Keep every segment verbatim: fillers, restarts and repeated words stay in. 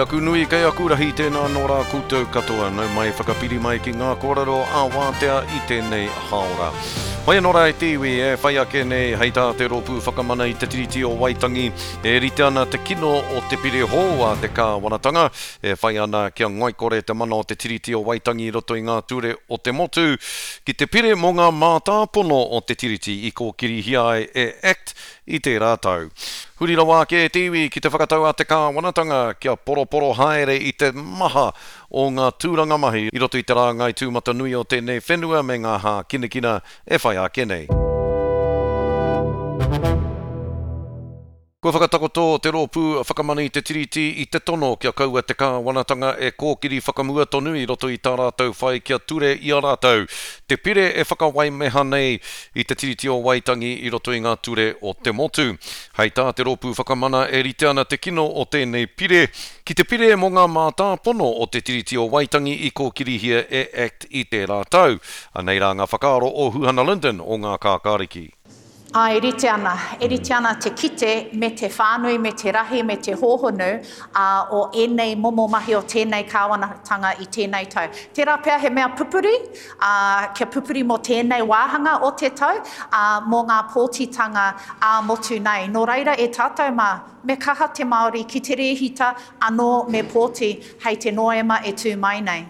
aku nui, kei aku rahi, tēnā anō rā koutou katoa. Nau mai, whakapiri mai ki ngā kōrero ā-wātea i tēnei hāora. Whai anō rā e te iwi e whai ake nei hei tā te Rōpū Whakamana i te Tiriti o Waitangi e rite ana te kino o te pire hou a te kāwanatanga e whai ana kia ngoikore te mana o te Tiriti o Waitangi i roto i ngā ture o te motu ki te pire mō ngā mātāpono o te Tiriti i kōkirihia ai e Act i tērā tau. Huri rawa ake e te iwi ki te whakatau a te kāwanatanga kia poroporo haere i te maha o ngā tūranga mahi i roto i te rāngai tūmatanui o tēnei whenua me ngā hākinakina e whai ake nei. Kua whakatakoto te Rōpū Whakamana i te Tiriti i te tono kia kaua te kāwanatanga e kōkiri whakamua tonu i roto i tā rātou whai kia ture i a rātou te pire e whakawaimeha nei i te Tiriti o Waitangi i roto i ngā ture o te motu. Hei tā te Rōpū Whakamana e rite ana te kino o tēnei pire ki te pire mō ngā mātāpono o te Tiriti o Waitangi i kōkirihia e Act i tērā tau. Anei rā ngā whakaaro o Huhana Lyndon o Ngā Kākāriki. Ā, e rite ana, e rite ana te kite me te whānui, me te rahi, me te hōhonu ā, o ēnei momo mahi o tēnei kāwanatanga i tēnei tau. Tērā pea he mea pupuri, ā, kia pupuri mō tēnei wāhanga o te tau, ā, mō ngā pōtitanga ā-motu nei. Nō reira e tātou mā, me kaha te Māori ki te rēhita anō me pōti hei te Noema e tū mai nei.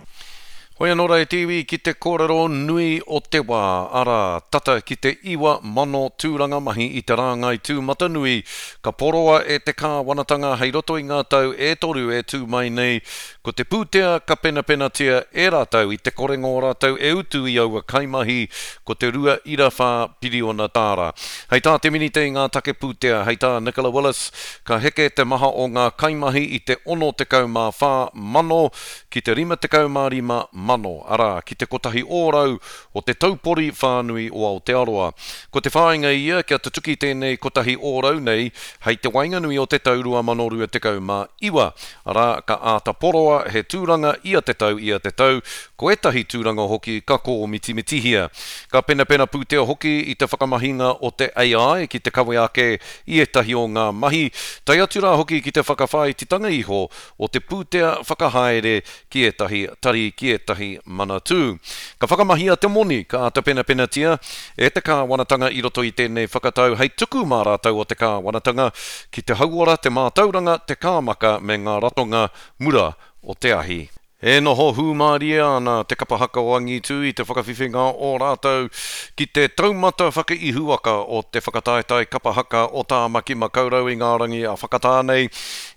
Hoi anō rā e te iwi ki te kōrero nui o te wā, arā, tata ki te iwa mano tūranga mahi i te rāngai tūmatanui ka poroa e te kāwanatanga hei roto i ngā tau e toru e tū mai nei, ko te pūtea ka penapenatia e rātou i te korenga o rātou e utu i aua kaimahi ko te rua ira whā piriona tāra. Hei tā te Minita i ngā take pūtea, hei tā Nicola Willis, ka heke te maha o ngā kaimahi i te ono tekau mā whā mano ki te rima tekau mā rima mano, arā, ki te kotahi ōrau o te taupori whānui o Aotearoa. Ko te whāinga ia kia tutuki tēnei kotahi ōrau nei hei te waenganui o te tau rua mano rua tekau mā iwa, arā, ka āta poroa he tūranga ia te tau ia te tau, ko ētahi tūranga hoki ka kōmitimitihia. Ka penapena pūtea hoki i te whakamahinga o te A I ki te kawe ake i ētahi o ngā mahi, tae atu rā hoki ki te whakawhāititanga iho o te pūtea whakahaere ki ētahi tari, ki ētahi manatū. Ka whakamahia te moni ka āta penapenatia e te kāwanatanga i roto i tēnei whakatau hei tuku mā rātou o te kāwanatanga ki te hauora, te mātauranga, te kāmaka me ngā ratonga mura o te ahi. E noho hūmārie ana te kapa haka o Angitū i te whakawhiwhinga o rātou ki te taumata whakaihuwaka o te whakataetae kapa haka o Tāmaki Makaurau i ngā rangi a Whakatānei.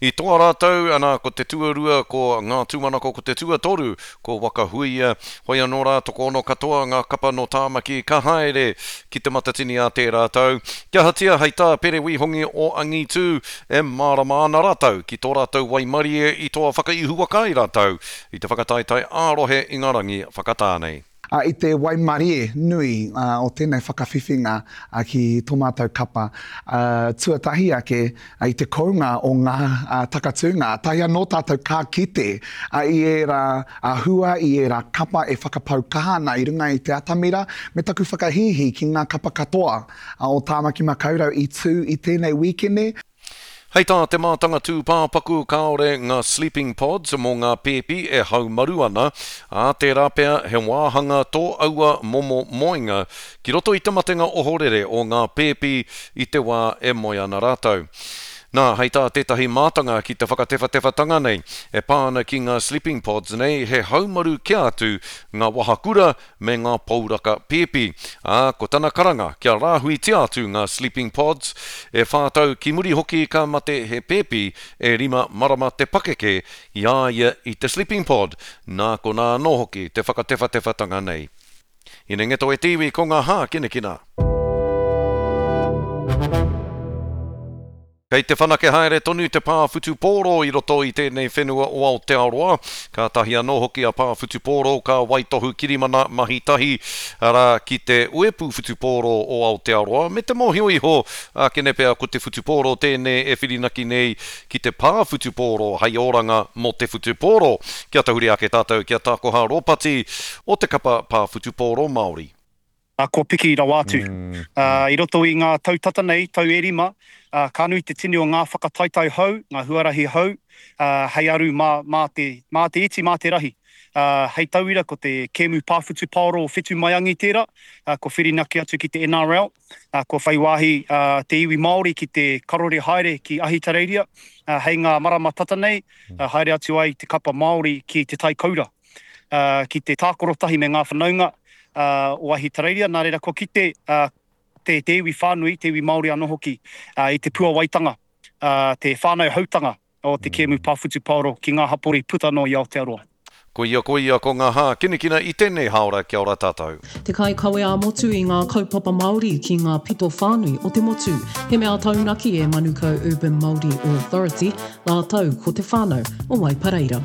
I toa rātou, ana, ko te tuarua, ko Ngā Tūmanako, ko te tuatoru, ko Waka Huia. Hoi anō rā, tokoono katoa ngā kapa nō Tāmaki ka haere ki te Matatini a tērā tau. Kia ahatia hei tā Pere Wihongi o Angitū, e mārama ana rātou ki tō rātou waimarie i toa whakaihuwaka ai rātou i te whakataetae ā-rohe i ngā rangi Whakatānei. I te waimarie nui o tēnei whakawhiwhinga ki tō mātou kapa, tuatahi ake i te kounga o ngā takatūnga, tahi anō tātou ka kite i ērā hua, i ērā kapa e whakapau kaha ana i runga i te atamira, me taku whakahīhī ki ngā kapa katoa o Tāmaki Makaurau i tū i tēnei wīkene. Hei tā te mātanga tūpāpaku kāore ngā sleeping pods mō ngā pēpi e haumaru ana, ā, tērā pea he wāhanga tō aua momo moenga ki roto i te matenga ohorere o ngā pēpi i te wā e moe ana rātou. Nā, hei tā tētahi mātanga ki te whakatewhatewhatanga nei, e pā ana ki ngā sleeping pods nei, he haumaru kia atu ngā wahakura me ngā pouraka pēpi. Ā, ko tana karanga kia rāhuitia atu ngā sleeping pods, e whā tau ki muri hoki ka mate he pēpi e rima marama te pakeke i a ia i te sleeping pod, nā konā anō hoki te whakatewhatewhatanga nei. Hinengeto e te iwi ko ngā hākinakina. Kei te whanake haere tonu te pā whutupōro i roto i tēnei whenua o Aotearoa. Ka tahi anō hoki a pā whutupōro ka waitohu kirimana mahi tahi, arā, ki te uepu whutupōro o Aotearoa, me te mōhio iho, ākene pea ko te whutupōro tēnei e whirinaki nei ki te pā whutupōro hei oranga mō te whutupōro. Kia tahuri ake tātou ki a Tākoha Ropati o te kapa pā whutupōro Māori. Kua piki rawa atu. I roto i ngā tau tata nei, tau e rima, ka nui te tini o ngā whakataetae hou, ngā huarahi hou, hei aru mā, mā te, mā te iti, mā te rahi. Hei tauira, ko te kēmu pā whutupaoro o Whetumaiangi tērā, kua whirinaki atu ki te N R L, kua whai wāhi te iwi Māori ki te karore haere ki Ahitereiria, hei ngā marama tata nei, haere atu ai te kapa Māori ki Te Tai Koura, ki te tākaro tahi me ngā whanaunga o Ahitereiria. Nā reira, kua kite te, te iwi whānui, te iwi Māori anō hoki, i te puawaitanga, te whānau hautanga o te kēmu pā whutupaoro ki ngā hapori puta noa i Aotearoa. Koia koia ko ngā hākinakina i tēnei hāora. Kia ora tātou. Te kaikawe ā-motu i ngā kaupapa Māori ki ngā pito whānui o te motu. He mea taunaki e Manukau Urban Māori Authority, rātou ko te whānau o Waipareira.